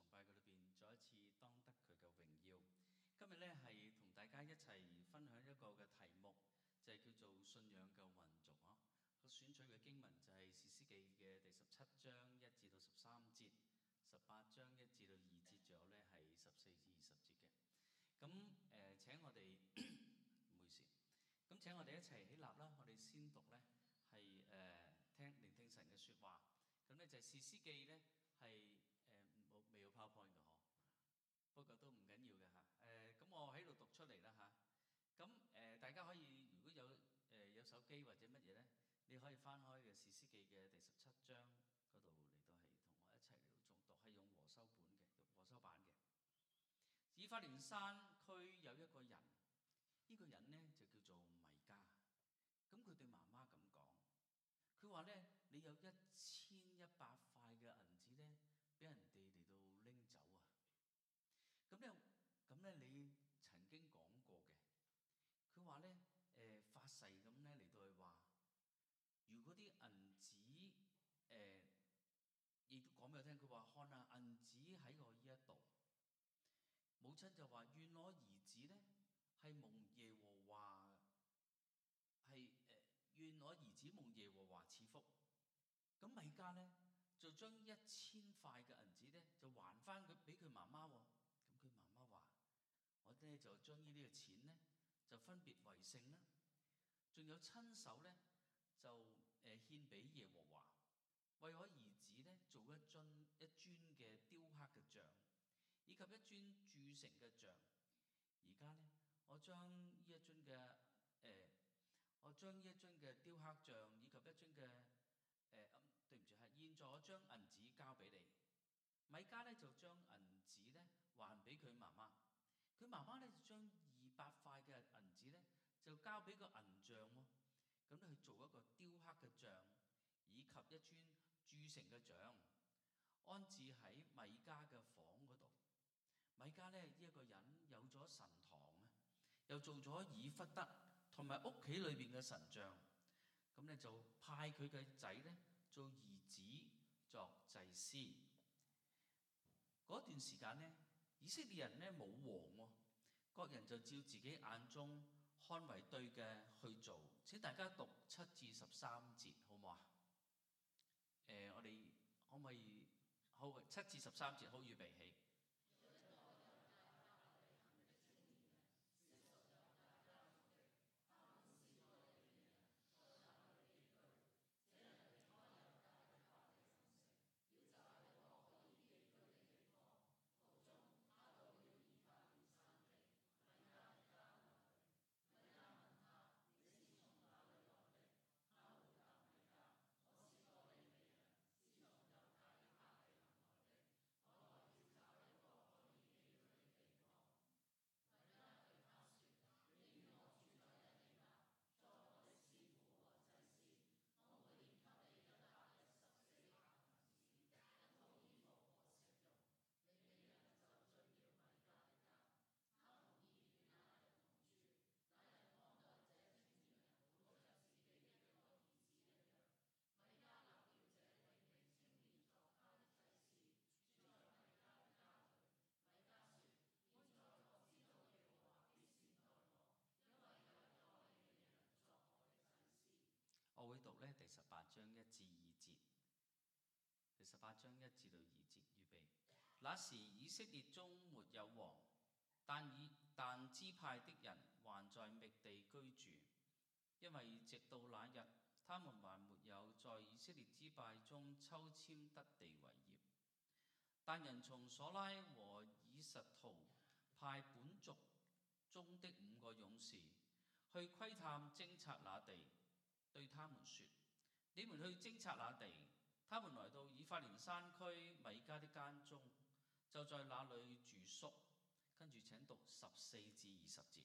崇拜佢裏邊再一次當得佢嘅榮耀。今日咧係同大家一齊分享一個嘅題目，就係叫做信仰嘅混濁啊。個選取嘅經文就係《士師記》嘅第17章1至到13節，18章1至到2節，仲有咧係14至20節嘅。咁請我哋唔好意思，咁請我哋一齊起立啦。我哋先讀咧係聆聽神嘅説話。咁咧就係《士師記》咧係未有 PowerPoint 嘅嗬，不過都唔緊要嘅嚇。咁我喺度讀出嚟啦嚇。咁大家可以如果有手機或者乜嘢咧，你可以翻開嘅《士師記》嘅第17章嗰度嚟到係同我一齊嚟到誦讀，係用和修版嘅。以法蓮山區有一個人，呢個人咧就叫做米迦。咁佢對媽媽咁講，佢話咧：你有1100塊嘅銀子咧，俾人哋嚟到拎走啊！咁咧，你曾經講過嘅，佢話咧發誓咁咧嚟到去話，如果啲銀子亦都講俾我聽，佢話看下銀子喺我呢一度。母親就話：願我兒子咧係蒙耶和華願我兒子蒙耶和華賜福。咁米迦咧就將1000塊嘅銀子咧就還翻佢俾佢媽媽喎。咁佢媽媽話：我咧就將呢啲嘅錢咧就分別為聖啦，仲有親手咧就獻俾耶和華，為我兒子咧做一尊嘅雕刻嘅像，以及一尊鑄成嘅像。而家咧，我將呢一尊嘅雕刻像，以及一尊嘅對唔住係，現在我將銀子交俾你。米迦咧就將銀子咧還俾佢媽媽，佢媽媽咧就將200塊嘅銀子咧就交俾個銀匠喎，咁咧去做一個雕刻嘅像，以及一尊鑄成嘅像，安置喺米迦嘅房嗰度。米迦咧呢一個人有咗神堂啊，又做咗以弗得同埋屋企裏邊嘅神像，咁咧就派佢嘅仔咧做兒子作祭司。嗰段時間咧，以色列人咧冇王喎，各人就照自己眼中看為對嘅去做。請大家讀7至13節，好唔好啊？我哋可唔可以好7至13節好預備起？我會讀咧第18章1至2節，第18章1至到2節，預備。那時以色列中沒有王，但支派的人還在覓地居住，因為直到那日，他們還沒有在以色列支派中抽籤得地為業。但人從所拉和以實圖派本族中的5個勇士去窺探偵察那地，對他們說：你們去偵察那地。他們來到以法蓮山區米迦的家中，就在那裏住宿。跟住請讀14至20節。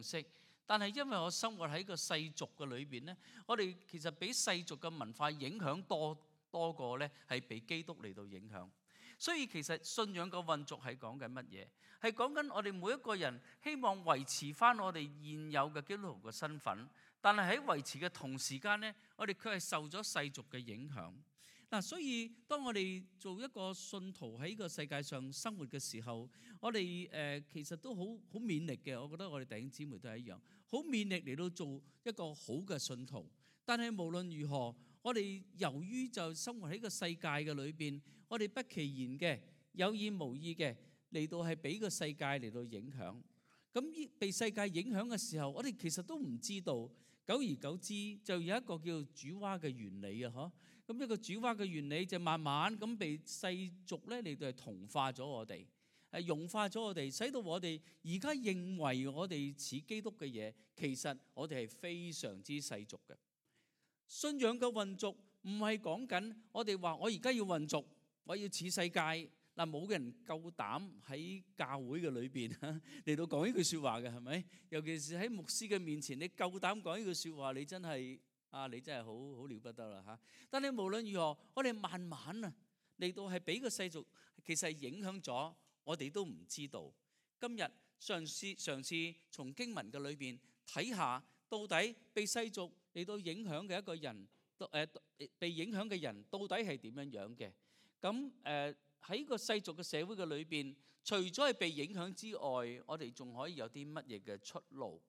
賞識。但係因為我生活喺個世俗嘅裏邊咧，我哋其實俾世俗嘅文化影響多過咧係被基督嚟到影響。所以其實信仰嘅運作係講緊乜嘢？係講緊我哋每一個人希望維持翻我哋現有嘅基督徒嘅身份，但係喺維持嘅同時間咧，我哋卻係受咗世俗嘅影響。嗱，所以當我哋做一個信徒喺個世界上生活嘅時候，我哋其實都好勉力嘅。我覺得我哋弟兄姊妹都係一樣，好勉力嚟到做一個好嘅信徒。但係無論如何，我哋由於就生活喺個世界嘅裏邊，我哋不其然嘅有意無意嘅嚟到係俾個世界嚟到影響。咁被世界影響嘅時候，我哋其實都唔知道。久而久之，就有一個叫煮蛙嘅原理啊！嗬，咁一個煮蛙嘅原理就慢慢咁被世俗咧嚟到係同化咗我哋，融化咗我哋，使到我哋而家認為我哋似基督嘅嘢，其實我哋係非常之世俗嘅。信仰嘅混濁唔係講緊我哋話我而家要混濁，我要似世界。嗱，冇人夠膽喺教會嘅裏邊嚟到講呢句説話嘅，係咪？尤其是喺牧師嘅面前，你夠膽講呢句説話，你真係好了不得啦嚇！但係無論如何，我哋慢慢嚟到係俾個世俗其實係影響咗，我哋都唔知道。今日嘗試從經文嘅裏邊睇下，到底被世俗嚟到影響嘅一個人，被影響嘅人到底係點樣樣嘅？咁喺個世俗嘅社會嘅裏邊，除咗係被影響之外，我哋仲可以有啲乜嘢嘅出路？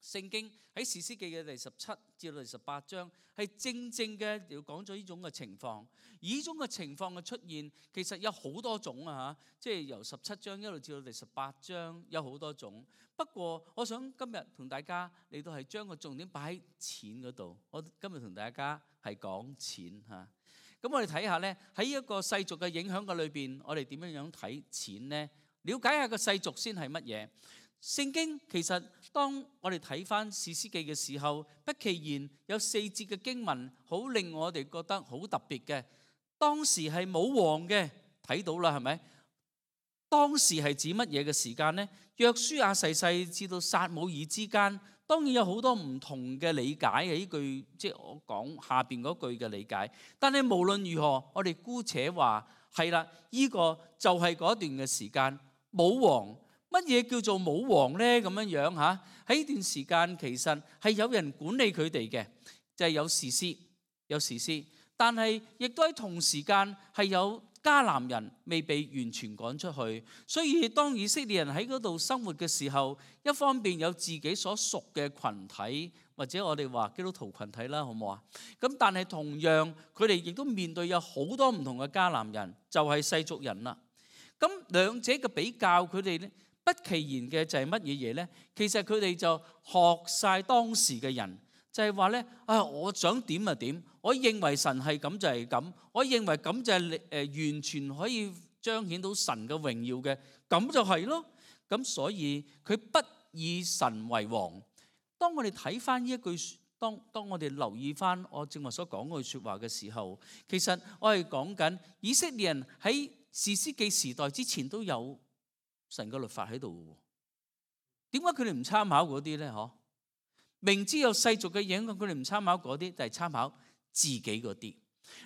聖經喺士師記嘅第17至到第18章，係正嘅要講咗呢種嘅情況。而呢種嘅情況嘅出現，其實有好多種啊嚇，即係由17章一路至到第18章有好多種。不過，我想今日同大家嚟到係將個重點擺喺錢嗰度。我今日同大家係講錢嚇。咁我哋睇下咧，喺一個世俗嘅影響嘅裏邊，我哋點樣樣睇錢呢？了解下個世俗先係乜嘢？聖經其實當我哋睇翻士師記嘅時候，不其然有4節嘅經文，好令我哋覺得好特別嘅。當時係冇王嘅，睇到啦，係咪？當時係指乜嘢嘅時間呢？約書亞逝世至到撒母耳之間。當然有好多唔同嘅理解嘅，呢句即係我講下邊嗰句嘅理解。但係無論如何，我哋姑且話係啦，呢個就係嗰段嘅時間冇王。乜嘢叫做冇王呢？咁樣樣嚇，喺呢段時間其實係有人管理佢哋嘅，就係有士師，但係亦都喺同時間係有迦南人未被完全趕出去，所以當以色列人喺嗰度生活嘅時候，一方面有自己所屬嘅群體，或者我哋話基督徒群體啦，好唔好啊？咁但係同樣佢哋亦都面對有好多唔同嘅迦南人，就係世俗人啦。咁兩者嘅比較，佢哋咧不其然嘅就係乜嘢嘢咧？其實佢哋就學晒當時嘅人。就係話咧，我想點就點，我認為神係咁就係咁，我認為咁就係完全可以彰顯到神嘅榮耀嘅，咁就係咯。咁所以佢不以神為王。當我哋睇翻呢一句，當我哋留意翻我正話所講嗰句説話嘅時候，其實我係講緊以色列人喺士師記時代之前都有神嘅律法喺度嘅，點解佢哋唔參考嗰啲咧？嗬？明知有世俗嘅影響，佢哋唔參考嗰啲，就係參考自己嗰啲。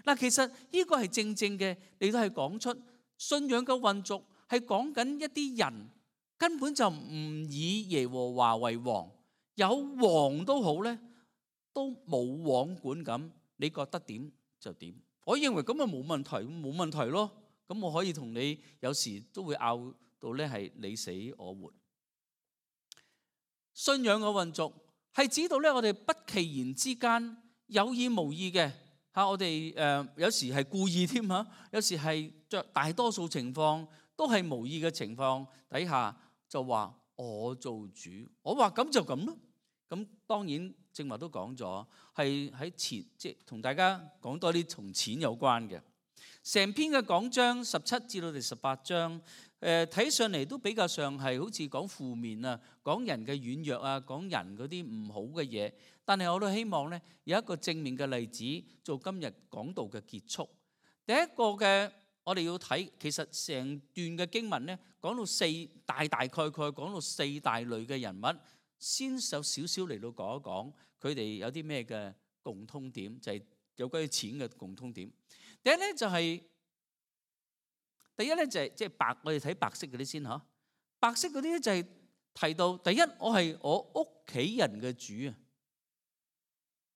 嗱，其實呢個係正嘅，你都係講出信仰嘅運作，係講緊一啲人根本就唔以耶和華為王，有王都好咧，都冇王管咁。你覺得點就點。我認為咁啊冇問題咯。咁我可以同你有時都會拗到咧係你死我活。信仰嘅運作係指到咧，我哋不其然之間有意無意嘅嚇，我哋有時係故意添嚇，有時係大多數情況都係無意嘅情況底下就話我做主，我話咁就咁咯。咁當然正話都講咗，係喺前即係同大家講多啲同錢有關嘅。成篇嘅講章17至到第18章，睇上嚟都比較上係好似講負面啊，講人嘅軟弱啊，講人嗰啲唔好嘅嘢。但係我都希望咧有一個正面嘅例子做今日講道嘅結束。第一個嘅我哋要睇，其實成段嘅經文咧講到大概講到4大類嘅人物。先有少少嚟到講一講佢哋有啲咩嘅共通點，就係有關於錢嘅共通點。第一咧就係即係白，我哋睇白色嗰啲先嚇。白色嗰啲咧就係提到第一，我係我屋企人嘅主啊，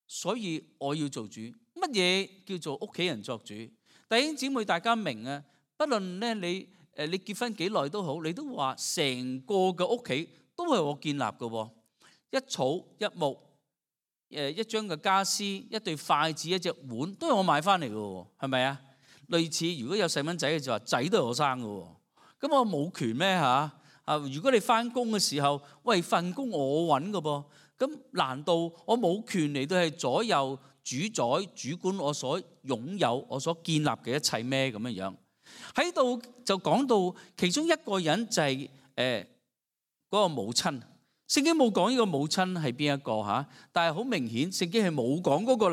所以我要做主。乜嘢叫做屋企人作主？弟兄姊妹大家明啊？不論咧你結婚幾耐都好，你都話成個嘅屋企都係我建立嘅喎。一草一木，一張嘅家私，一對筷子，一隻碗，都係我買翻嚟嘅喎，係咪啊？類似如果有細蚊仔嘅就話仔都係我生嘅喎，咁我冇權咩嚇？如果你翻工嘅時候，喂，份工我揾嘅噃，咁難道我冇權嚟到係左右主宰主管我所擁有我所建立嘅一切咩？咁樣樣喺度就講到其中一個人就係嗰個母親。聖經冇講呢個母親係邊一個嚇，但係好明顯聖經係冇講嗰個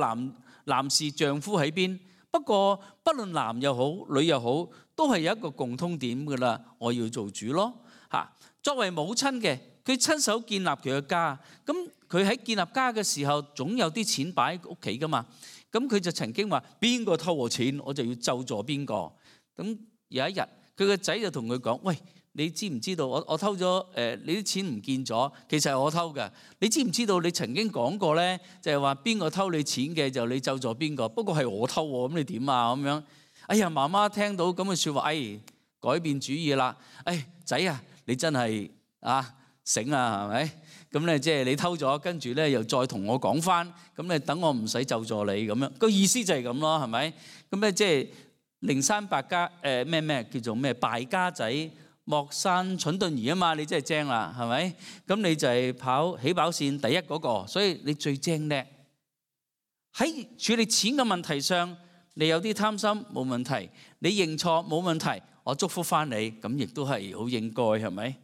男士丈夫喺邊。不過不論男又好女又好，都係有一個共通點㗎啦，我要做主咯嚇。作為母親嘅，佢親手建立佢嘅家，咁佢喺建立家嘅時候，總有啲錢擺喺屋企㗎嘛。咁佢就曾經話：邊個偷我錢，我就要咒詛邊個。咁有一日，佢個仔就同佢講：喂，你知唔知道我偷咗你啲錢唔見咗？其實係我偷嘅。你知唔知道你曾經講過咧，就係話邊個偷你錢嘅就你咒詛邊個？不過係我偷喎，咁你點啊？咁樣，哎呀，媽媽聽到咁嘅説話，改變主意啦。仔啊，你真係醒啊，係咪？咁咧即係你偷咗，跟住咧又再同我講翻，咁咧等我唔使咒詛你咁樣。個意思就係咁咯，係咪？咁咧即係靈山敗家咩叫做咩敗家仔莫生蠢鈍兒啊嘛，你真係精啦，係咪？咁你就係跑起跑線第一嗰個，所以你最精叻。喺處理錢嘅問題上，你有啲貪心冇問題，你認錯冇問題，我祝福翻你，咁亦都係好應該，係咪？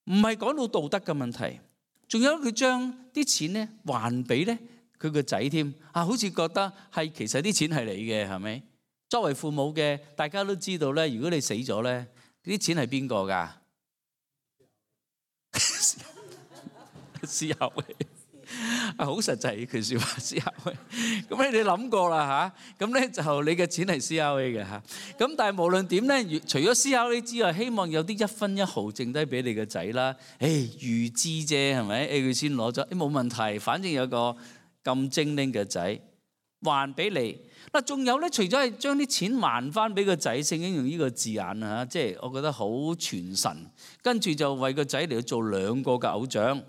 唔係講到道德嘅問題，仲有佢將啲錢咧還俾咧佢個仔添好似覺得係其實啲錢係你嘅，係咪？作為父母嘅，大家都知道咧，如果你死咗咧，啲錢係邊個㗎？思考好實際呢句説話，思考咁你諗過啦嚇，咁咧就你嘅錢係 CRA 嘅嚇，咁但係無論點咧，除咗 CRA 之外，希望有啲一分一毫剩低俾你嘅仔啦。預支啫係咪？佢先攞咗，冇問題，反正有個咁精靈嘅仔還俾你。嗱，仲有咧，除咗係將啲錢還翻俾個仔，聖經用呢個字眼啊，即係我覺得好傳神。跟住就為個仔嚟做2個嘅偶像。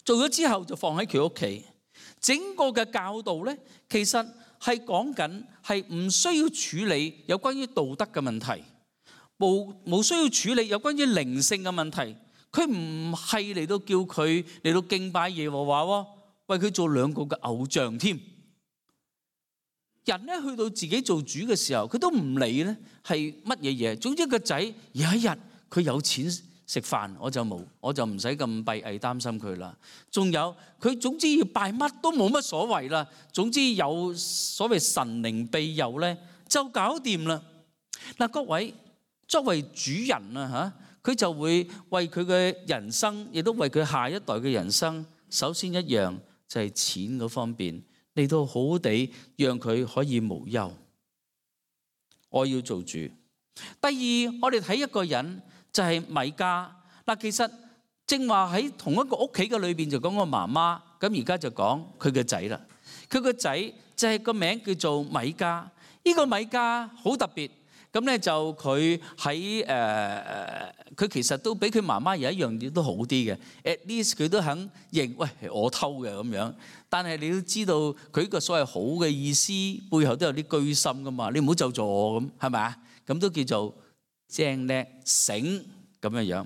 做咗之後就放喺佢屋企，整個嘅教導咧，其實係講緊係唔需要處理有關於道德嘅問題，冇需要處理有關於靈性嘅問題。佢唔係嚟到叫佢嚟到敬拜耶和華喎，為佢做2個嘅偶像添。人咧去到自己做主嘅時候，佢都唔理咧係乜嘢嘢。總之個仔有一日佢有錢食飯，我就唔使咁閉翳擔心佢啦。仲有佢總之要拜乜都冇乜所謂啦。總之有所謂神靈庇佑咧，就搞掂啦。嗱，各位作為主人啊嚇，佢就會為佢嘅人生，亦都為佢下一代嘅人生，首先一樣就係錢嗰方面嚟到好好地讓佢可以無憂。我要做主。第二，我哋睇一個人。就係米迦嗱，其實正話喺同一個屋企嘅裏邊就講個媽媽，咁而家就講佢個仔啦。佢個仔就係個名叫做米迦。呢個米迦好特別，咁咧就佢喺佢其實都比佢媽媽有一樣嘢都好啲嘅。At least 佢都肯認，喂，係我偷嘅咁樣。但係你都知道佢個所謂好嘅意思背後都有啲居心噶嘛。你唔好咒詛我咁，係咪啊？咁都叫做精叻醒咁樣樣，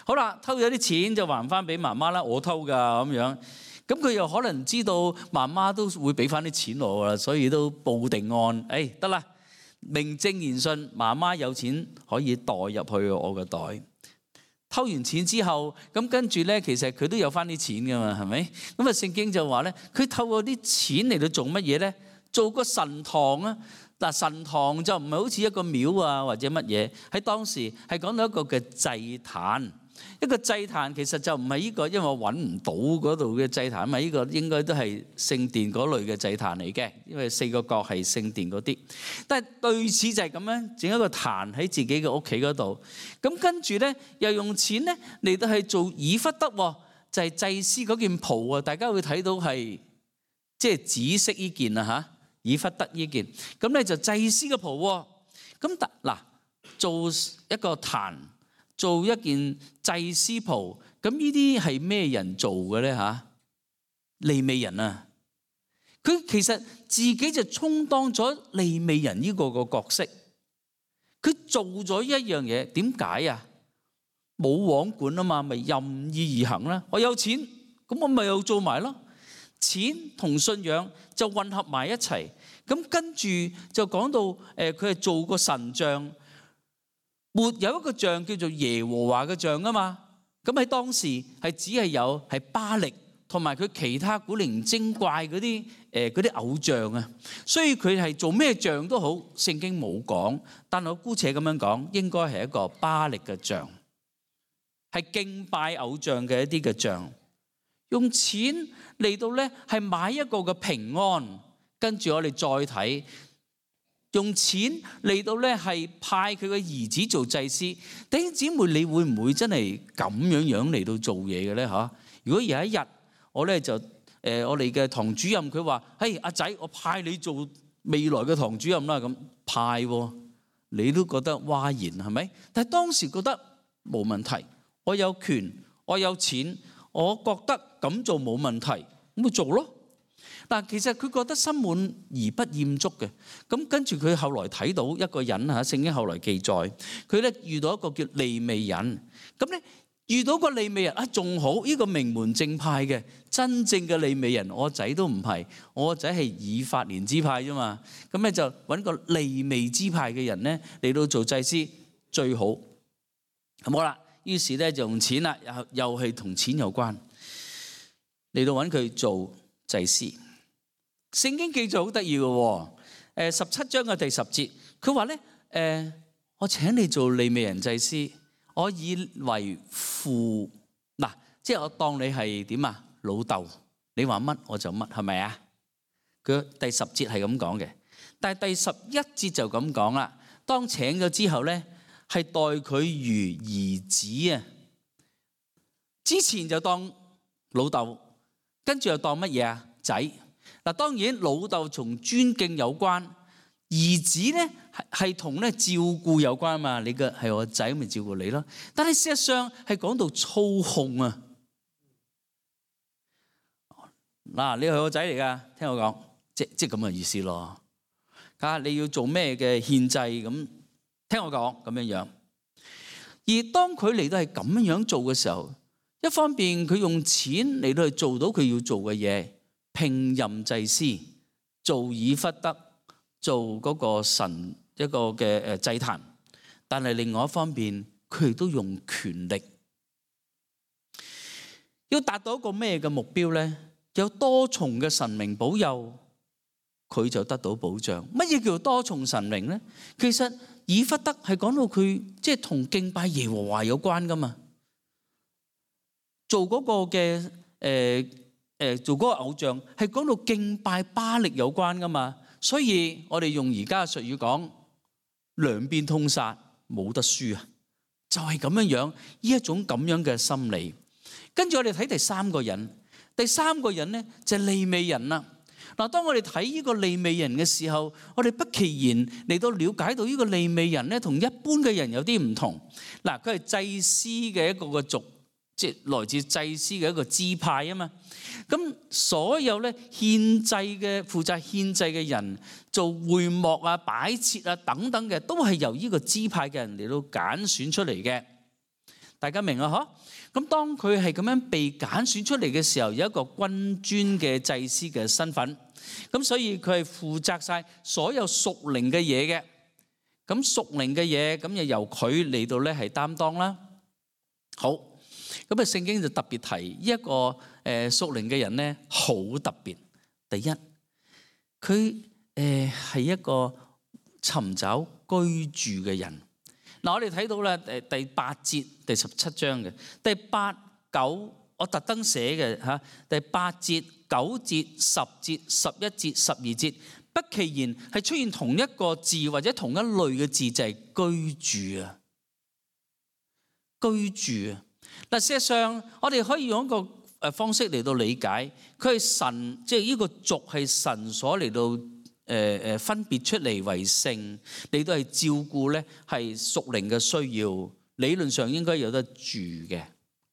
好啦，偷咗啲錢就還翻俾媽媽啦，我偷噶咁樣，咁佢又可能知道媽媽都會俾翻啲錢我啦，所以都報定案，得啦，名正言順，媽媽有錢可以代入去我個袋。偷完錢之後，咁跟住咧，其實佢都有翻啲錢噶嘛，係咪？咁啊，聖經就話咧，佢透過啲錢嚟到做乜嘢咧？做個神堂啊！嗱，神堂就唔係好似一個廟啊或者乜嘢，喺當時係講到一個嘅祭壇。一個祭壇其實就唔係呢個，因為我揾唔到嗰度嘅祭壇，呢個應該都係聖殿嗰類嘅祭壇嚟嘅，因為4個角係聖殿嗰啲。但係類似就係咁樣整一個壇喺自己嘅屋企嗰度，咁跟住咧又用錢咧嚟到係做以弗得，就係祭司嗰件袍啊！大家會睇到係即係紫色呢件啊嚇，以弗得呢件，咁咧就祭司嘅袍。咁嗱，做一個壇，做一件祭司袍，咁呢啲係咩人做嘅咧嚇？利未人啊，佢其實自己就充當咗利未人呢個角色，佢做咗一樣嘢，點解啊？冇王管啊嘛，咪任意而行啦。我有錢，咁我咪又做埋咯。錢同信仰就混合埋一齊。咁跟住就講到佢係做個神像，沒有一個像叫做耶和華嘅像啊嘛。咁喺當時係只係有係巴力同埋佢其他古靈精怪嗰啲偶像啊。所以佢係做咩像都好，聖經冇講，但我姑且咁樣講，應該係一個巴力嘅像。係敬拜偶像嘅一啲嘅像，用錢嚟到咧係買一個嘅平安，跟住我哋再睇，用錢嚟到咧係派佢嘅兒子做祭司。弟兄姊妹，你會唔會真係咁樣嚟到做嘢嘅咧？嚇！如果有一日我咧就我哋嘅堂主任佢話：嘿，阿仔，我派你做未來嘅堂主任啦。咁派喎，你都覺得嘩然係咪？但係當時覺得冇問題。我有權，我有錢，我覺得咁做冇問題，咁咪做咯。但其實佢覺得心滿而不厭足嘅。咁跟住佢後來睇到一個人嚇，聖經後來記載，佢咧遇到一個叫利未人。咁咧遇到個利未人啊，仲好，呢個名門正派嘅真正嘅利未人，我仔都唔係，我仔係以法蓮支派啫嘛。咁咧就揾個利未支派嘅人咧嚟到做祭司最好。好啦。於是咧就用錢啦，又係同錢有關，嚟到揾佢做祭司。聖經記載好得意嘅，17章嘅第10節，佢話咧我請你做利未人祭司，我以為父，嗱，即係我當你係點啊？老豆，你話乜我就乜，係咪啊？佢第10節係咁講嘅，但係第11節就咁講啦。當請咗之後咧，係待佢如兒子啊！之前就當老豆，跟住又當乜嘢啊？仔。嗱，當然老豆同尊敬有關，兒子咧係同咧照顧有關嘛。你嘅係我仔，咪照顧你咯。但係事實上係講到操控啊！嗱，你係我仔嚟噶，聽我講，即咁嘅意思咯。啊，你要做咩嘅獻祭咁？聽我講咁樣樣，而當佢嚟到係咁樣做嘅時候，一方面佢用錢嚟到去做到佢要做嘅嘢，聘任祭司，做以弗得，做嗰個神一個嘅祭壇，但係另外一方面佢亦都用權力，要達到一個咩嘅目標咧？有多重嘅神明保佑，佢就得到保障。乜嘢叫做多重神明咧？其實以弗得係講到佢即係同敬拜耶和華有關噶嘛，做嗰個嘅做嗰個偶像係講到敬拜巴力有關噶嘛，所以我哋用而家嘅術語講兩邊通殺，冇得輸啊，就係咁樣樣呢一種咁樣嘅心理。跟住我哋睇第三個人，第三個人咧就係利未人啦。嗱，當我哋睇呢個利未人嘅時候，我哋不其然嚟到了解到呢個利未人咧，同一般嘅人有啲唔同。嗱，佢係祭司嘅一個族，即係來自祭司嘅一個支派啊嘛。咁所有咧獻祭嘅負責獻祭嘅人，做會幕啊、擺設啊等等嘅，都係由呢個支派嘅人嚟到揀選出嚟嘅。大家明啊？嗬？咁當佢係咁樣被揀選出嚟嘅時候，有一個君尊嘅祭司嘅身份，咁所以佢係負責晒所有屬靈嘅嘢嘅。咁屬靈嘅嘢，咁就由佢嚟到咧係擔當啦。好，咁啊聖經就特別提呢一個屬靈嘅人咧，好特別。第一，佢係一個尋找居住嘅人。嗱，我哋睇到咧第8節第17章嘅第8、9，我特登寫嘅嚇，第8節、9節、10節、11節、12節，不其然係出現同一個字或者同一類嘅字，就係居住啊，居住啊。嗱，事實上我哋可以用一個方式嚟到理解，佢係神，即係呢個族係神所嚟到分別出嚟為聖，嚟到係照顧咧係屬靈嘅需要，理論上應該有得住嘅，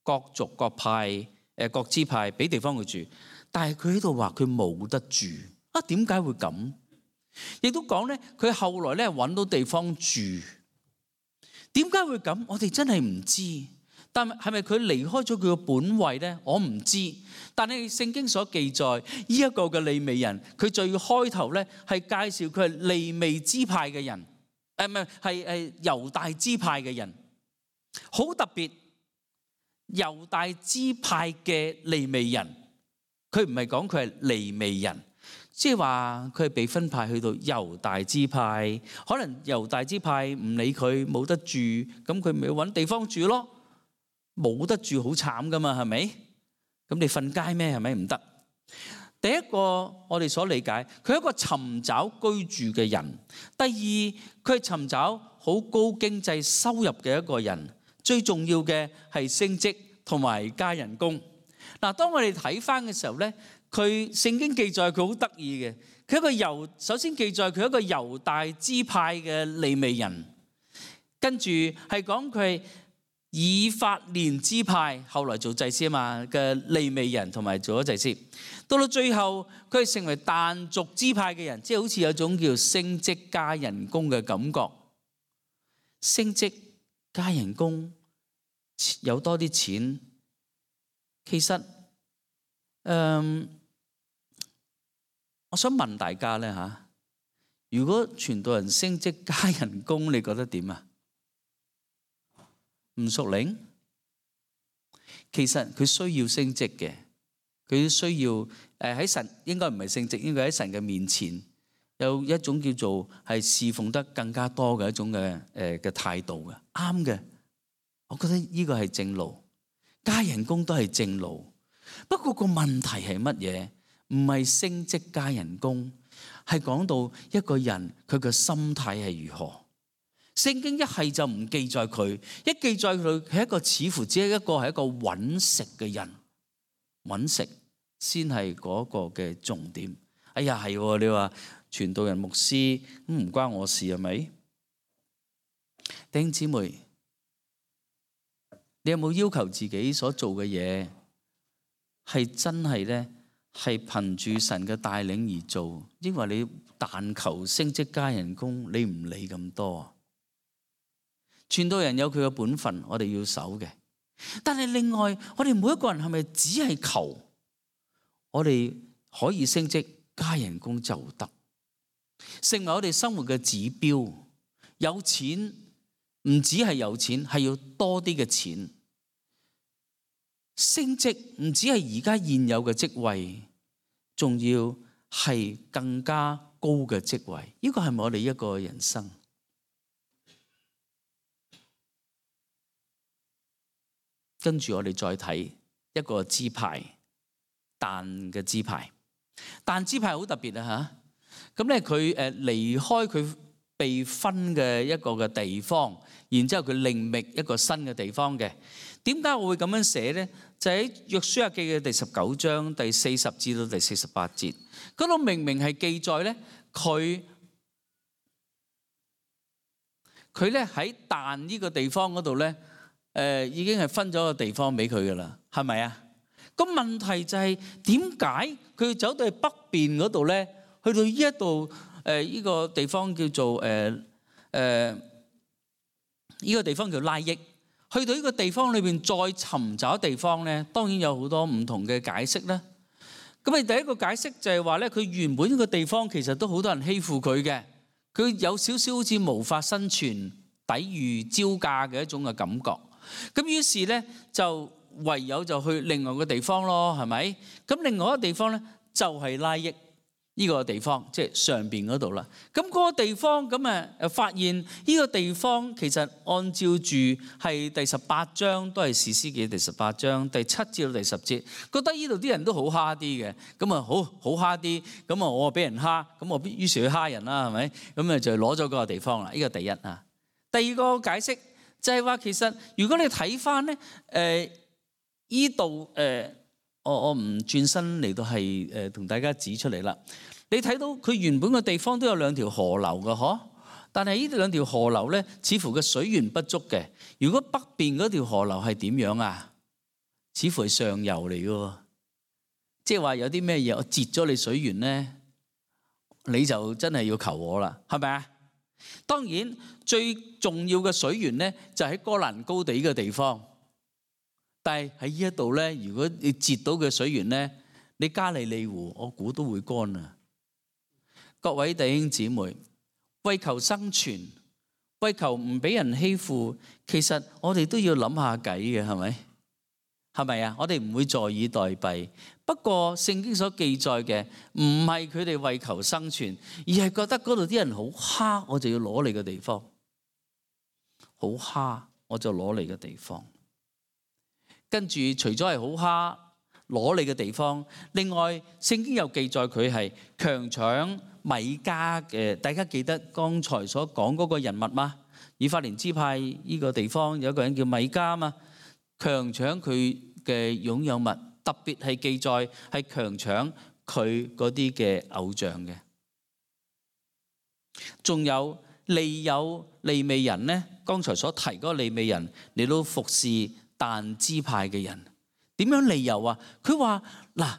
各族各派各支派俾地方佢住，但係佢喺度話佢冇得住啊？點解會咁？亦都講咧，佢後來咧揾到地方住，點解會咁？我哋真係唔知。但係咪佢離開咗佢嘅本位咧？我唔知。但係聖經所記載呢一個嘅利未人，佢最開頭咧係介紹佢係利未支派嘅人，係猶大支派嘅人，好特別。猶大支派嘅利未人，佢唔係講佢係利未人，即係話佢係被分派去到猶大支派。可能猶大支派唔理佢冇得住，咁佢咪揾地方住咯。冇得住好慘噶嘛，係咪？咁你瞓街咩？係咪唔得？第一個我哋所理解，佢係一個尋找居住嘅人。第二，佢係尋找好高經濟收入嘅一個人。最重要嘅係升職同埋加人工。嗱，當我哋睇翻嘅時候咧，佢聖經記載佢好得意嘅，佢一個首先記載佢一個猶大支派嘅利未人，跟住係講佢係以法蓮支派，後來做祭司啊嘛嘅利未人，同埋做咗祭司。到到最後，佢係成為但族支派嘅人，即係好似有種叫升職加人工嘅感覺。升職加人工，有多啲錢。其實，我想問大家咧嚇，如果傳道人升職加人工，你覺得點啊？唔屬靈，其實佢需要升職嘅，佢需要喺神，應該唔係升職，應該喺神嘅面前有一種叫做係侍奉得更加多嘅一種嘅態度嘅，啱嘅。我覺得呢個係正路，加人工都係正路。不過個問題係乜嘢？唔係升職加人工，係講到一個人佢嘅心態係如何。聖經一係就唔記載佢，一記載佢係一個似乎只係一個揾食嘅人，揾食先係嗰個嘅重點。哎呀係，你話傳道人牧師唔關我事係咪？弟兄姊妹，你有冇要求自己所做嘅嘢係真係咧係憑住神嘅帶領而做？因為你但求升職加人工，你唔理咁多。傳道人有佢嘅本分，我哋要守嘅。但係另外，我哋每一個人係咪只係求我哋可以升職加人工就得，成為我哋生活嘅指標？有錢唔止係有錢，係要多啲嘅錢。升職唔止係而家現有嘅職位，仲要係更加高嘅職位。呢個係咪我哋一個人生？跟住我哋再睇一個支派，但嘅支派，但支派好特別啊嚇！咁咧佢離開佢被分嘅一個嘅地方，然之後佢另覓一個新嘅地方嘅。點解我會咁樣寫咧？就喺約書亞記嘅第19章第40至到第48節，嗰度明明係記載咧，佢咧喺但呢個地方嗰度咧。已經係分咗個地方俾佢噶啦，係咪啊？咁問題就係點解佢要走到去北邊嗰度咧？去到呢一度呢個地方叫做呢個地方叫拉益。去到呢個地方裏邊再尋找地方咧，當然有好多唔同嘅解釋啦。咁啊，第一個解釋就係話咧，佢原本呢個地方其實都好多人欺負佢嘅，佢有少少好似無法生存、抵禦招架嘅一種嘅感覺。咁於是咧就唯有就去另外個地方咯，係咪？咁另外一個地方咧就係拉益。呢個地方，即係上邊嗰度啦。咁嗰個地方咁發現呢個地方其實按照住係第18章，都係士師記第18章第7至到第10節，覺得呢度啲人都好蝦啲嘅，咁啊好蝦啲，咁啊我俾人蝦，咁我於是去蝦人啦，係咪？咁就攞咗嗰個地方啦。呢個第一啊。第二個解釋就係話，其實如果你睇翻咧，呢度我唔轉身嚟到係同大家指出嚟啦。你睇到佢原本嘅地方都有2條河流嘅嗬，但係呢2條河流咧，似乎嘅水源不足嘅。如果北邊嗰條河流係點樣啊？似乎係上游嚟嘅，即係話有啲咩嘢我截咗你水源咧，你就真係要求我啦，係咪啊？當然最重要嘅水源咧就喺哥蘭高地嘅地方。但係喺呢一度咧，如果你截到嘅水源咧，你加利利湖，我估都會乾啊！各位弟兄姊妹，為求生存，為求唔俾人欺負，其實我哋都要諗下計嘅，係咪？係咪啊？我哋唔會坐以待斃。不過聖經所記載嘅唔係佢哋為求生存，而係覺得嗰度啲人好蝦，我就要攞你嘅地方。好蝦，我就攞你嘅地方。跟住除咗係好蝦攞你嘅地方，另外聖經又記載佢係強搶米迦嘅。大家記得剛才所講嗰個人物嗎？以法蓮支派呢個地方有一個人叫米迦嘛，強搶佢嘅擁有物，特別係記載係強搶佢嗰啲嘅偶像嘅。仲有利未人呢，剛才所提嗰個利未人嚟到服侍但支派嘅人，點樣理由啊？佢話嗱，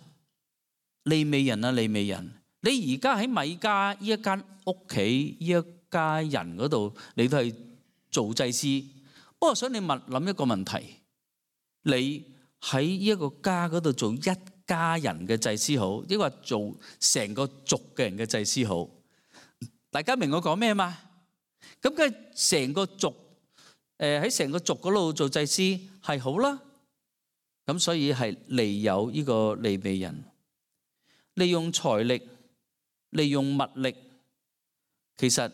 利未人啊，利未人，你而家喺米迦呢一間屋企呢一家人嗰度，你都係做祭司。不過想你諗一個問題，你喺呢一個家嗰度做一家人嘅祭司好，抑或做成個族嘅人嘅祭司好？大家明我講咩嘛？咁梗係成個族。喺成個族嗰度做祭司係好啦，咁所以係利有呢個利未人，利用財力，利用物力，其實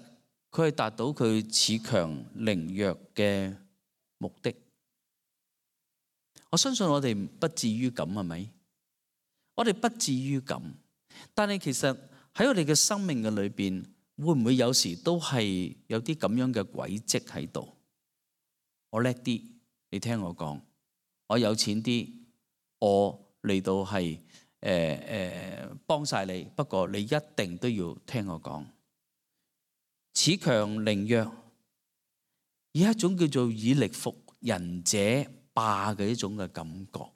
佢係達到佢恃強凌弱嘅目的。我相信我哋不至於咁，係咪？我哋不至於咁，但係其實喺我哋嘅生命嘅裏邊，會唔會有時都係有啲咁樣嘅軌跡喺度？我叻啲，你聽我講；我有錢啲，我嚟到係幫晒你。不過你一定都要聽我講。恃強凌弱，以一種叫做以力服人者霸嘅一種嘅感覺。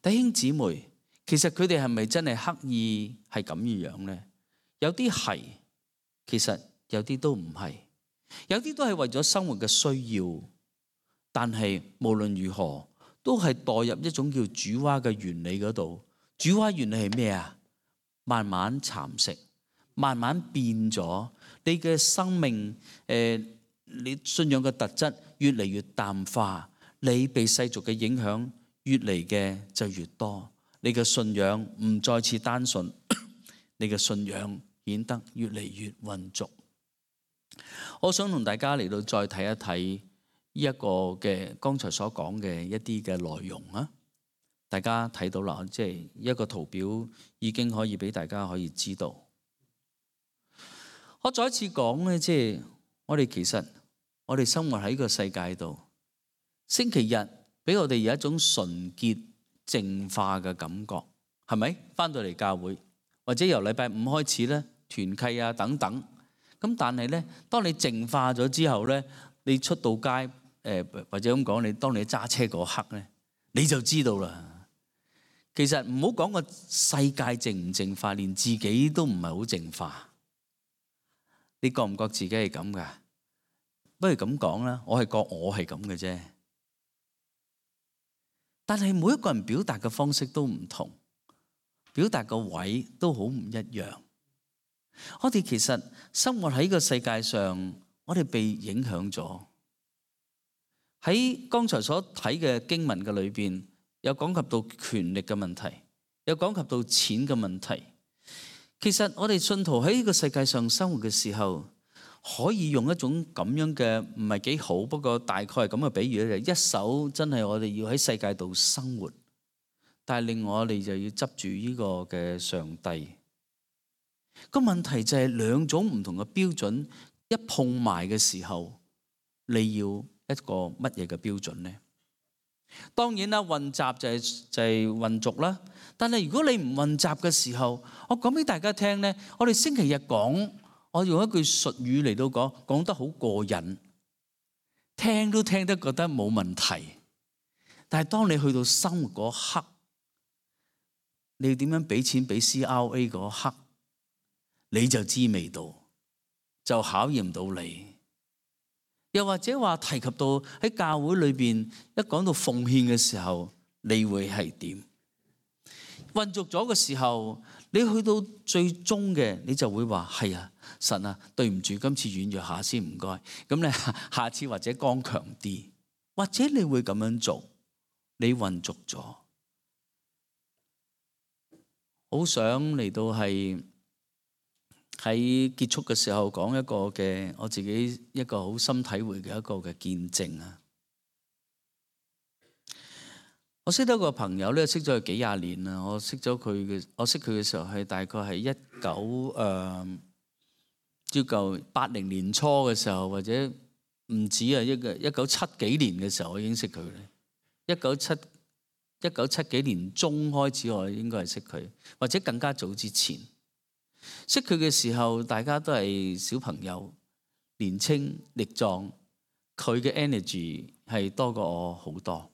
弟兄姊妹，其實佢哋係咪真係刻意係咁樣呢？有啲係，其實有啲都唔係。有啲都係為咗生活嘅需要，但係無論如何都係墮入一種叫主蛙嘅原理嗰度。主蛙原理係咩啊？慢慢蠶食，慢慢變咗你嘅生命，你信仰嘅特質越嚟越淡化，你被世俗嘅影響越嚟嘅就越多，你嘅信仰唔再次單純，你嘅信仰顯得越嚟越混濁。我想同大家嚟到再睇一睇呢一個嘅剛才所講嘅一啲嘅內容啊！大家睇到啦，即係一個圖表已經可以俾大家可以知道。我再一次講咧，即係我哋其實我哋生活喺個世界度，星期日俾我哋有一種純潔淨化嘅感覺，係咪？返到嚟教會或者由禮拜5開始咧，團契啊等等。咁但係咧，當你淨化咗之後咧，你出到街或者咁講，你當你揸車嗰刻咧，你就知道啦。其實唔好講個世界淨唔淨化，連自己都唔係好淨化。你覺唔覺自己係咁噶？不如咁講啦，我係覺我係咁嘅啫。但係每一個人表達嘅方式都唔同，表達個位都好唔一樣。我哋其實生活喺個世界上，我哋被影響咗。喺剛才所睇嘅經文嘅裏邊，有講及到權力嘅問題，有講及到錢嘅問題。其實我哋信徒喺呢個世界上生活嘅時候，可以用一種咁樣嘅唔係幾好，不過大概係咁嘅比喻咧，就一手真係我哋要喺世界度生活，但係另外我哋就要執住呢個嘅上帝。個問題就係兩種唔同嘅標準一碰埋嘅時候，你要一個乜嘢嘅標準呢？當然啦，混雜就係混濁啦。但係如果你唔混雜嘅時候，我講俾大家聽呢，我哋星期日講，我用一句術語嚟到講得好過癮，聽都聽得覺得冇問題。但係當你去到生活嗰刻，你要點樣俾錢俾 CRA 嗰刻，你就知味道，就考驗到你。又或者話提及到喺教會裏邊一講到奉獻嘅時候，你會係點？混濁咗嘅時候，你去到最終嘅，你就會話係啊，神啊，對唔住，今次軟弱下先，唔該。咁你下次或者剛強啲，或者你會咁樣做，你混濁咗。好想嚟到係喺結束嘅時候講一個嘅我自己一個好深體會嘅一個嘅見證啊！我識得個朋友咧，識咗佢幾廿年啦。我識佢嘅時候係大概係朝舊80年初嘅時候，或者唔止啊，1970幾年嘅時候我已經識佢咧。1970幾年中開始我應該係識佢，或者更加早之前。識佢嘅時候，大家都係小朋友，年青力壯，佢嘅 energy 係多過我好多。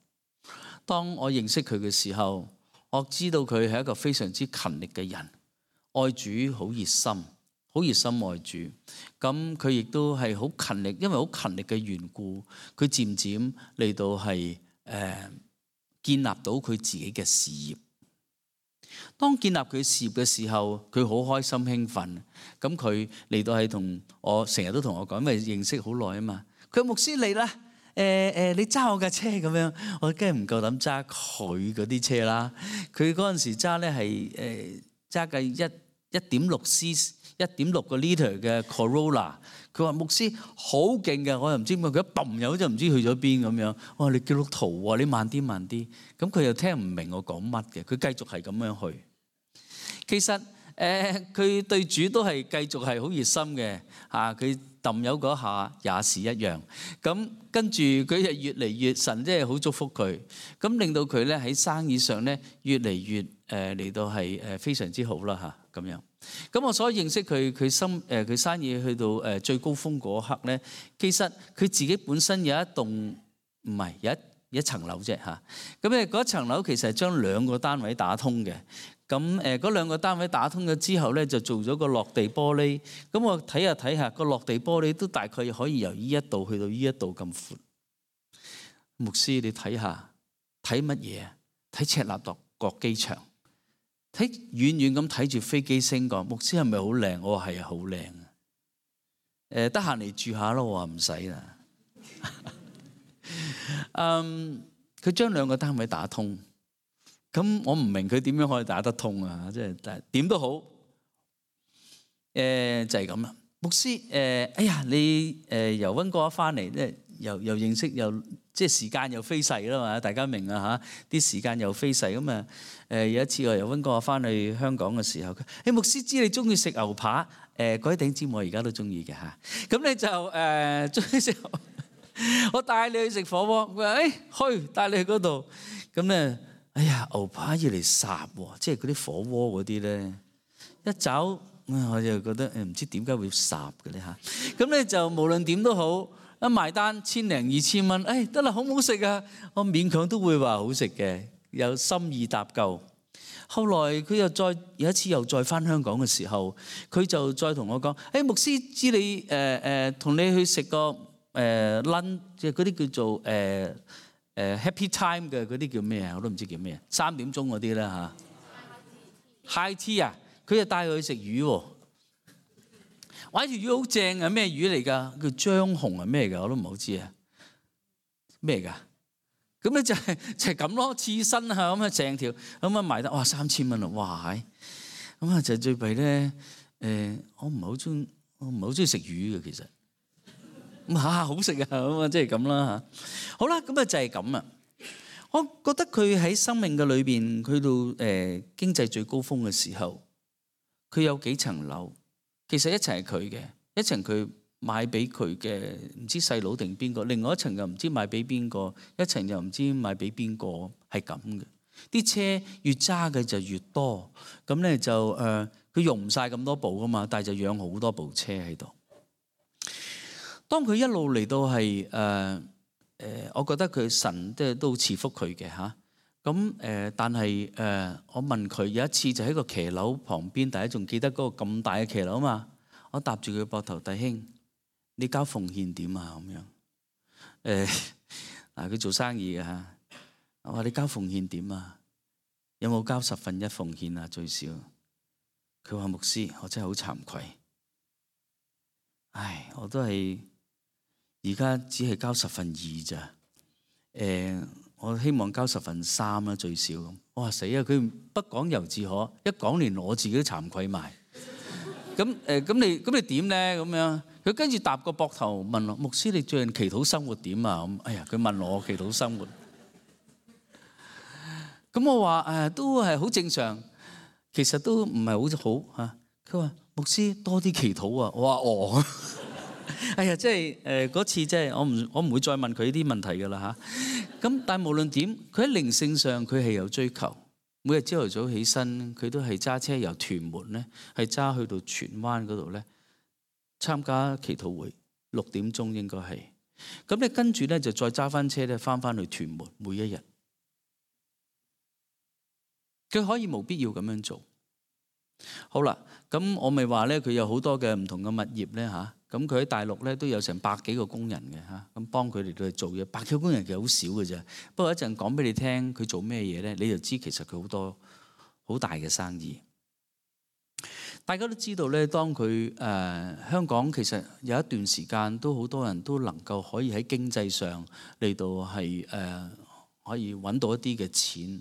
當我認識佢嘅時候，我知道佢係一個非常之勤力嘅人，愛主好熱心，好熱心愛主。咁佢亦都係好勤力，因為好勤力嘅緣故，佢漸漸嚟到係建立到佢自己嘅事業。當建立佢事業嘅時候，佢好開心興奮。咁佢嚟到係同我成日都同我講，因為認識好耐啊嘛。佢牧師嚟啦，你揸我架車咁樣，我梗係唔夠膽揸佢嗰啲車啦。佢嗰陣時揸咧係揸架1.6個 liter 嘅 Corolla。佢話牧師好勁嘅，我又唔知點解佢一揼油就唔知去咗邊咁樣。我話你基督徒喎，你慢啲慢啲。咁佢又聽唔明我講乜嘅，佢繼續係咁樣去。其實佢對主都係繼續係好熱心嘅嚇。佢揼油嗰下也是一樣。咁跟住佢就越嚟越神，即係好祝福佢。咁令到佢咧喺生意上咧越嚟越嚟到係非常之好啦嚇咁樣。咁我所認識佢生意去到最高峰嗰刻咧，其實佢自己本身有一棟唔係有一層樓啫嚇。咁咧嗰層樓其實係將2個單位打通嘅。咁嗰2個單位打通咗之後咧，就做咗個落地玻璃。咁我睇下個落地玻璃都大概可以由呢一度去到呢一度咁闊。牧師你睇下睇乜嘢啊？睇赤鱲角機場。睇遠遠咁睇住飛機升降，牧師係咪好靚？我話係啊，好靚啊！得閒嚟住下咯，我話唔使啦。佢將2個單位打通，咁我唔明佢點樣可以打得通啊！即係點都好，就係咁啦。牧師哎呀，你由溫哥華翻嚟咧，又認識又即係時間又飛逝啦嘛，大家明啊嚇？啲時間又飛逝咁啊！有一次我由溫哥華翻去香港嘅時候，牧師知你中意食牛扒，嗰啲頂尖我而家都中意嘅嚇。咁你就中意食，我帶你去食火鍋。佢話去帶你去嗰度。咁咧，哎呀牛扒要嚟烚喎，即係嗰啲火鍋嗰啲咧，一走我就覺得唔知點解會烚嘅咧嚇。咁咧就無論點都好。一埋單1000零2000蚊，得啦，好唔好食啊？我勉強都會話好食嘅，有心意搭救。後來佢又再有一次又再翻香港嘅時候，佢就再同我講：牧師知你同你去食個lunch，即係嗰啲叫做happy time 嘅嗰啲叫咩啊？我都唔知叫咩，3點鐘嗰啲啦嚇。High tea 啊，佢就帶佢去食魚喎。哇！條魚好正啊，咩魚嚟㗎？叫張紅係咩㗎？我都唔好知啊。咩㗎？咁咧就係咁咯，刺身啊咁啊，成條咁啊賣得哇3000蚊啊！哇咁啊就最弊咧，我唔係好中意食魚嘅其實。咁好食啊，咁啊即係咁啦嚇。好啦，咁啊就係咁啊。我覺得佢喺生命嘅裏邊，去到經濟最高峰嘅時候，佢有幾層樓，其實一層係佢嘅，一層佢買俾佢嘅，唔知細佬定邊個，另外一層又唔知買俾邊個，一層又唔知買俾邊個，係咁嘅。啲車越揸嘅就越多，咁咧就佢用唔晒咁多部噶嘛，但係就養好多部車喺度。當佢一路嚟到係我覺得佢神都賜福佢嘅嚇。咁但係我問佢有一次就喺個騎樓旁邊，大家仲記得嗰個咁大嘅騎樓嘛？我搭住佢膊頭，弟兄，你交奉獻點啊？咁樣嗱，佢做生意嘅嚇。我話你交奉獻點啊？有冇交1/10奉獻啊？最少。佢話牧師，我真係好慚愧。唉，我都係而家只係交2/10咋。我希望交3/10啦，最少咁。我話死啊！佢不講猶自可，一講連我自己都慚愧埋。咁你點咧？咁樣佢跟住搭個膊頭問我：牧師，你最近祈禱生活點啊？咁哎呀，佢問我祈禱生活。咁我話都係好正常，其實都唔係好嚇。佢話牧師多啲祈禱啊。我話哎呀，即係嗰次即係我唔會再問佢呢啲問題㗎啦嚇。咁但係無論點，佢喺靈性上佢係有追求。每日朝頭早起身，佢都係揸車由屯門咧，係揸去到荃灣嗰度咧參加祈禱會，6點鐘應該係。咁你跟住咧就再揸翻車咧翻去屯門，每一日。佢可以冇必要咁樣做。好啦，咁我咪話咧，佢有好多嘅唔同嘅物業咧嚇。咁佢喺大陸咧都有成100幾個工人嘅嚇，咁幫佢哋去做嘢。100幾個工人其實好少嘅啫。不過一陣講俾你聽，佢做咩嘢咧，你就知其實佢好多好大嘅生意。大家都知道咧，當佢香港其實有一段時間都好多人都能夠可以喺經濟上嚟到係可以揾到一啲嘅錢。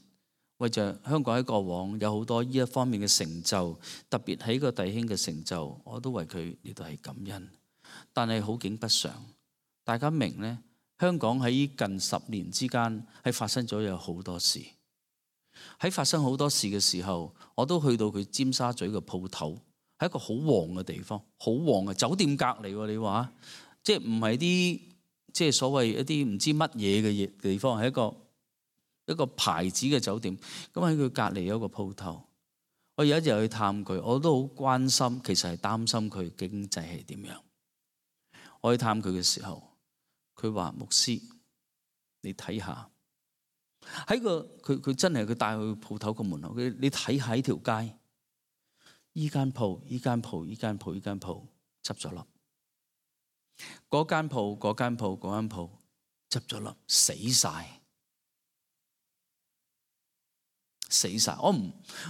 為着香港喺過往有好多呢一方面嘅成就，特別喺個弟兄嘅成就，我都為佢呢度係感恩。但係好景不常，大家明呢，香港喺近10年之間係發生咗有好多事。喺發生好多事嘅時候，我都去到佢尖沙咀嘅鋪頭，係一個好旺嘅地方，好旺嘅酒店隔離。你話即係唔係啲即係所謂一啲唔知乜嘢嘅地方，係一個牌子嘅酒店。咁喺佢隔離有一個鋪頭。我有一日去探佢，我都好關心，其實係擔心佢經濟係點樣。我去探佢嘅時候，佢話牧師，你睇下喺佢真係佢帶去鋪頭個門口，你睇下呢條街，依間鋪執咗笠，嗰間鋪執咗笠，死晒。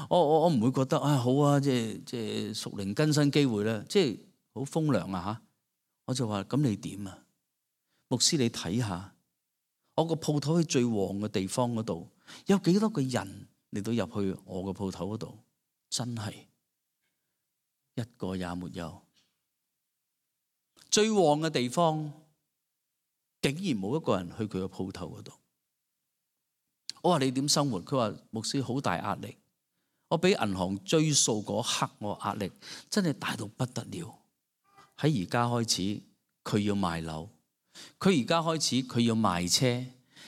我唔會覺得好啊，即係屬靈更新機會咧，即係好風涼啊嚇。我就話咁你點啊？牧師你睇下，我個鋪頭喺最旺嘅地方嗰度，有幾多個人嚟到入去我個鋪頭嗰度？真係一個也沒有。最旺嘅地方，竟然冇一個人去佢個鋪頭嗰度。我話你點生活？佢話牧師好大壓力。我俾銀行追數嗰刻，我壓力真係大到不得了。喺而家開始，佢要賣樓；佢而家開始，佢要賣車；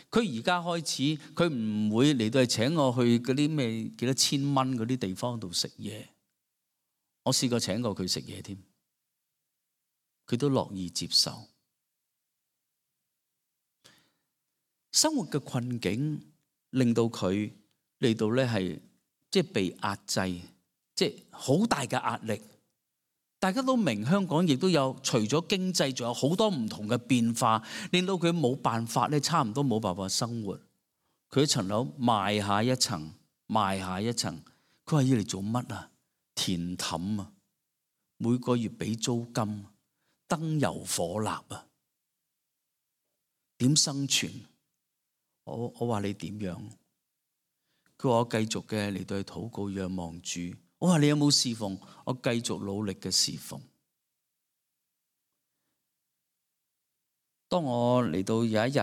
佢而家開始，佢唔會嚟到係請我去嗰啲咩幾多千蚊嗰啲地方度食嘢。我試過請過佢食嘢添，佢都樂意接受。生活嘅困境令到佢嚟到咧係即係被壓制，即係好大嘅壓力。大家都明香港亦都有除咗經濟，仲有好多唔同嘅變化，令到佢冇辦法咧，差唔多冇辦法生活。佢一層樓賣下一層，賣下一層。佢話要嚟做乜啊？填氹啊！每個月俾租金，燈油火蠟啊！點生存？我話你點樣？佢話我繼續嘅嚟到去禱告，仰望主，我話你有冇侍奉？我繼續努力嘅侍奉。當我嚟到有一日，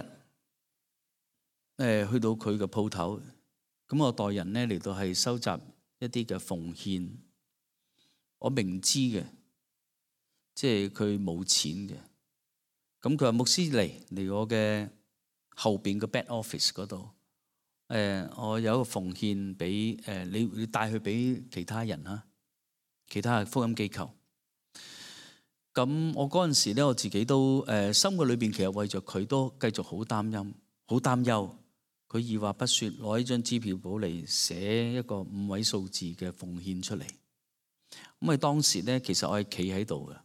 去到佢嘅鋪頭，咁我代人咧嚟到係收集一啲嘅奉獻。我明知嘅，即係佢冇錢嘅。咁佢話牧師嚟我嘅後邊嘅 back office 嗰度，我有一個奉獻俾你帶去俾其他人啦，其他福音機構。咁我嗰陣時咧，我自己都心嘅裏邊其實為咗佢都繼續好擔憂。佢二話不說攞一張支票簿嚟寫一個5位數字嘅奉獻出嚟。咁啊當時咧，其實我係企喺度嘅，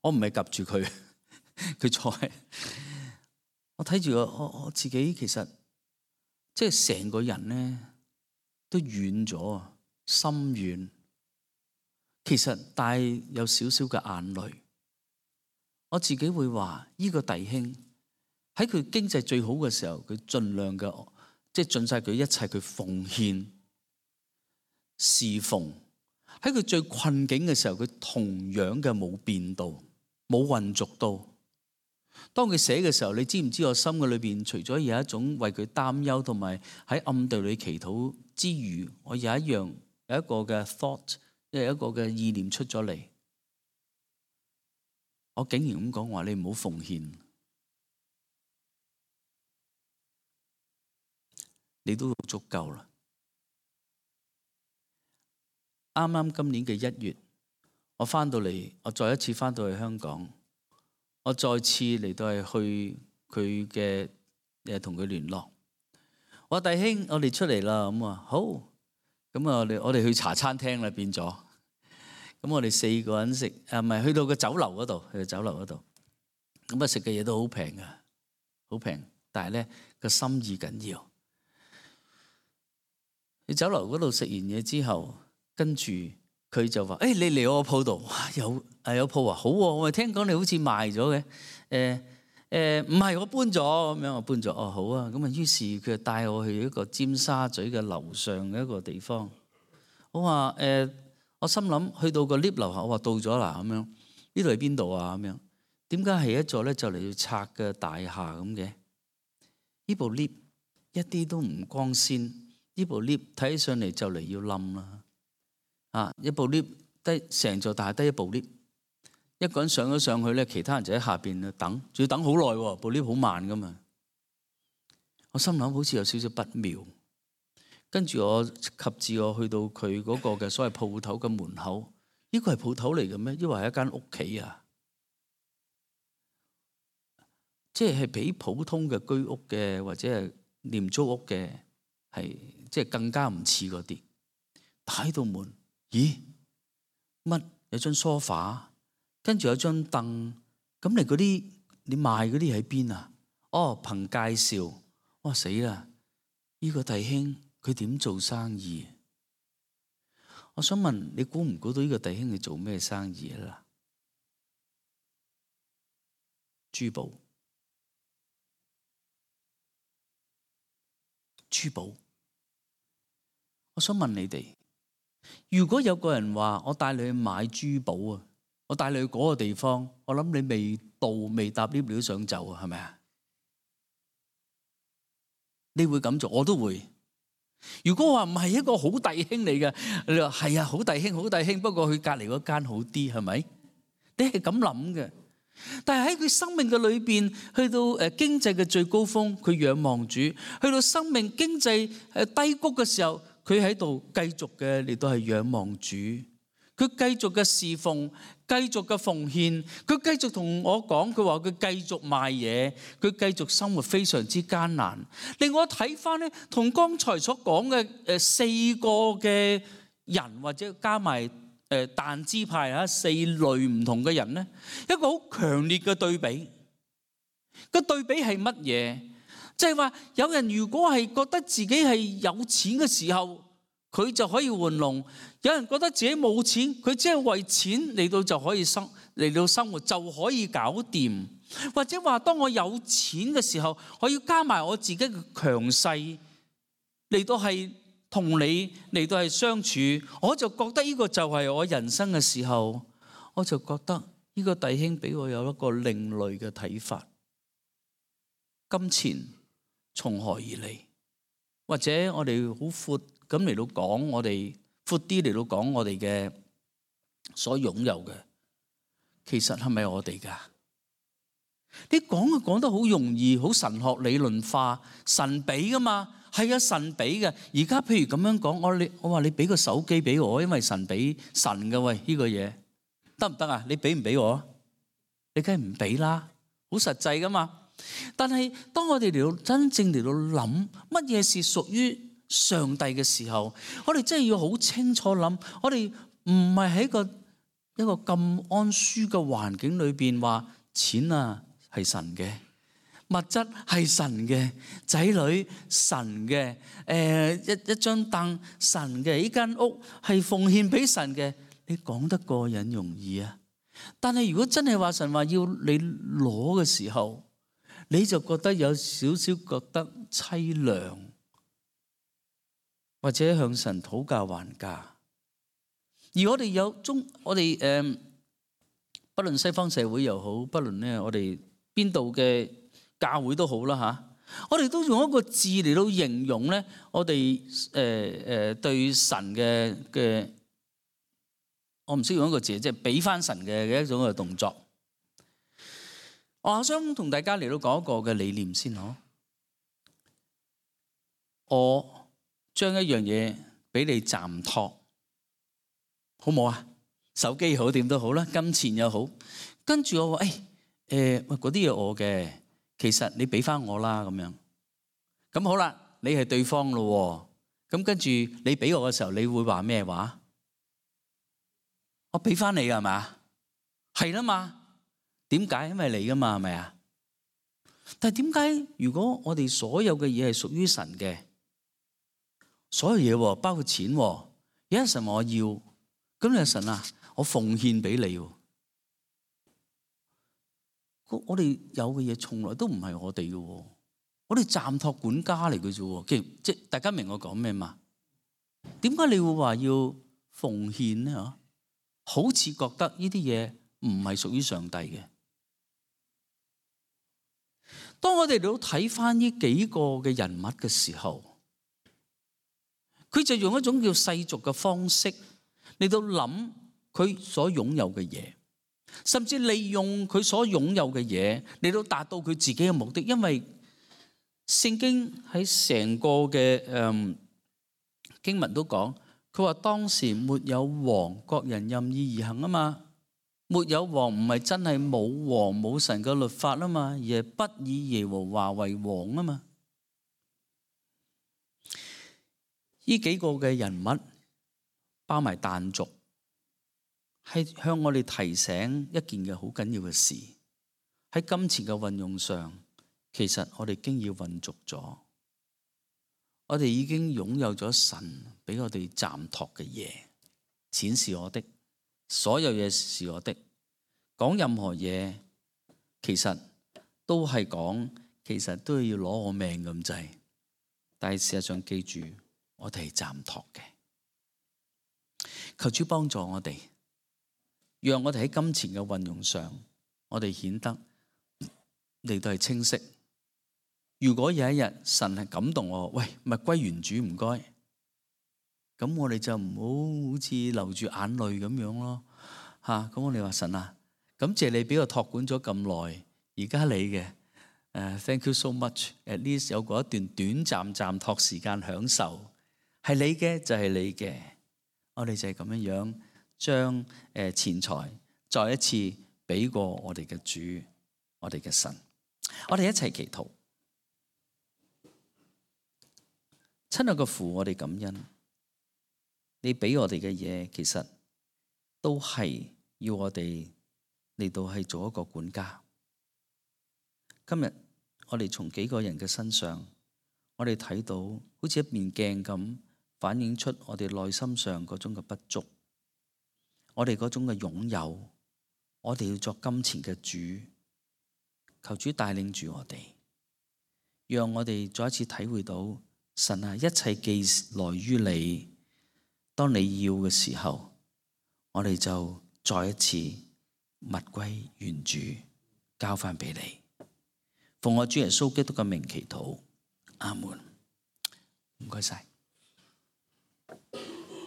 我唔係夾住佢，佢坐喺。我睇住我自己，其實即係成個人咧都軟咗啊，心軟。其實帶有少少嘅眼淚。我自己會話，呢個弟兄喺佢經濟最好嘅時候，佢盡量嘅，即係盡晒佢一切，佢奉獻侍奉。喺佢最困境嘅時候，佢同樣嘅冇變到，冇混濁到。當佢寫嘅時候，你知唔知我心嘅裏邊，除咗有一種為佢擔憂，同埋喺暗地裏祈禱之餘，我有一個嘅 thought， 有一個嘅意念出咗嚟。我竟然咁講話，你唔好奉獻，你都足夠啦。啱啱今年嘅1月，我翻到嚟，我再一次翻到去香港，我再次嚟到係去佢嘅同佢聯絡。我話弟兄，我哋出嚟啦，咁啊好，咁啊我哋去茶餐廳啦，變咗。咁我哋4個人食，唔係去到個酒樓嗰度，咁啊食嘅嘢都好平噶，好平。但係咧個心意緊要。去酒樓嗰度食完嘢之後，跟住佢就話：你嚟我鋪度，有鋪啊，好喎！我聽講你好似賣咗嘅，唔係我搬咗咁樣，我搬咗。哦，好啊。咁啊，於是佢就帶我去一個尖沙咀嘅樓上嘅一個地方。我話我心諗去到個 lift 樓下，我話到咗啦咁樣，呢度係邊度啊咁樣？點解係一座咧就嚟要拆嘅大廈咁嘅？呢部 lift 一啲都唔光鮮，呢部 lift 睇起上嚟就嚟要冧啦！啊，一部 lift 得成座大廈得一部 lift， 一個人上咗上去咧，其他人就喺下邊等，仲要等好耐喎，部 lift 好慢噶嘛。我心諗好似有少少不妙。跟住我及至我去到佢嗰個嘅所謂鋪頭嘅門口，呢個係鋪頭嚟嘅咩？抑或係一間屋企啊？即係比普通嘅居屋嘅或者係廉租屋嘅係即係更加唔似嗰啲。打開道門，咦？乜有張梳化，跟住有張凳，咁你賣嗰啲喺邊啊？哦，憑介紹。哇死啦！呢個弟兄。佢點做生意？我想問你，估唔估到呢個弟兄係做咩生意啦？珠寶。我想問你哋，如果有個人話我帶你去買珠寶啊，我帶你去嗰個地方，我諗你未搭 lift 你都想走啊，係咪啊？你會咁做，我都會。如果話唔係一個好弟兄嚟嘅，你話係啊，好弟兄，不過佢隔離嗰間好啲，係咪？你係咁諗嘅。但係喺佢生命嘅裏邊，去到經濟嘅最高峰，佢仰望主；去到生命經濟低谷嘅時候，佢喺度繼續嘅嚟到係仰望主。佢繼續嘅侍奉，繼續嘅奉獻，佢繼續同我講，佢話佢繼續賣嘢，佢繼續生活非常之艱難。令我睇翻咧，同剛才所講嘅4個嘅人，或者加埋但支派4類唔同嘅人咧，一個好強烈嘅對比。個對比係乜嘢？即係話有人如果係覺得自己係有錢嘅時候，佢就可以玩弄；有人覺得自己冇錢，佢只係為錢嚟到就可以嚟到生活就可以搞掂。或者話當我有錢嘅時候，我要加埋我自己嘅強勢嚟到係同你嚟到係相處，我就覺得呢個就係我人生嘅時候，我就覺得呢個弟兄俾我有一個另類嘅睇法。金錢從何而嚟？或者我哋好闊咁嚟到講，我哋闊啲嚟到講我哋嘅所擁有嘅，其實係咪我哋㗎？你講得好容易，好神學理論化，神俾㗎嘛？係啊，神俾嘅。而家譬如咁樣講，我話你俾個手機俾我，因為神俾神嘅，喂，呢個嘢得唔得啊？你俾唔俾我？你梗係唔俾啦，好實際㗎嘛。但係當我哋嚟到真正嚟到諗乜嘢是屬於上帝嘅時候，我哋真係要好清楚諗，我哋唔係喺一個咁安舒嘅環境裏邊話錢啊係神嘅，物質係神嘅，仔女神嘅，一張凳神嘅，呢間屋係奉獻俾神嘅，你講得過癮容易啊？但係如果真係話神話要你攞嘅時候，你就覺得有少少覺得淒涼，或者向神討價還價。而我哋不論西方社會又好，不論咧我哋邊度嘅教會都好啦嚇，我哋都用一個字嚟到形容咧，我哋對神嘅，我唔識用一個字，即係俾翻神嘅一種嘅動作。我想同大家嚟到講一個嘅理念先嗬。我將一樣嘢俾你暫託，好冇啊？手機好點都好啦，金錢又好。跟住我話嗰啲嘢我嘅，其實你俾翻我啦咁樣。咁好啦，你係對方咯。咁跟住你俾我嘅時候，你會話咩話？我俾翻你係嘛？係啦嘛。點解？因為你噶嘛，係咪啊？但係點解如果我哋所有嘅嘢係屬於神嘅，所有嘢包括錢，有一神話我要，咁你話神啊，我奉獻俾你。我哋有嘅嘢從來都唔係我哋嘅，我哋暫託管家嚟嘅啫。即係大家明我講咩嘛？點解你會話要奉獻呢？好似覺得呢啲嘢唔係屬於上帝嘅。當我哋都睇翻呢幾個嘅人物嘅時候，佢就用一種叫世俗嘅方式嚟到諗佢所擁有嘅嘢，甚至利用佢所擁有嘅嘢嚟到達到佢自己嘅目的。因為聖經喺成個嘅經文都講，佢話當時沒有王，各人任意而行啊嘛。沒有王唔係真係冇王冇神嘅律法啊嘛，而係不以耶和華為王啊嘛。呢幾個嘅人物包埋但族，係向我哋提醒一件嘅好緊要嘅事，喺金錢嘅運用上，其實我哋經要混濁咗，我哋已經擁有咗神俾我哋暫託嘅嘢，錢是我的。所有嘢是我的，講任何嘢其實都係講，其實都要攞我命咁滯。但係事實上記住，我哋係暫託嘅。求主幫助我哋，讓我哋喺金錢嘅運用上，我哋顯得嚟到係清晰。如果有一日神係感動我，喂，咪歸原主唔該。咁我哋就唔好似流住眼淚咁樣咯，咁我哋話神啊，感謝你俾我託管咗咁耐，而家你嘅，thank you so much，at least 有過一段短暫託時間享受，係你嘅就係你嘅，我哋就係咁樣樣將錢財再一次俾過我哋嘅主，我哋嘅神，我哋一齊祈禱。親愛嘅父，我哋感恩。你俾我哋嘅嘢，其實都係要我哋嚟到係做一個管家。今日我哋從幾個人嘅身上，我哋睇到好似一面鏡咁，反映出我哋內心上嗰種嘅不足，我哋嗰種嘅擁有，我哋要作金錢嘅主。求主帶領住我哋，讓我哋再一次體會到神啊，一切既來於你，當你要嘅時候，我哋就再一次物歸原主，交翻俾你。奉我主耶穌基督嘅名祈禱，阿門。唔該晒。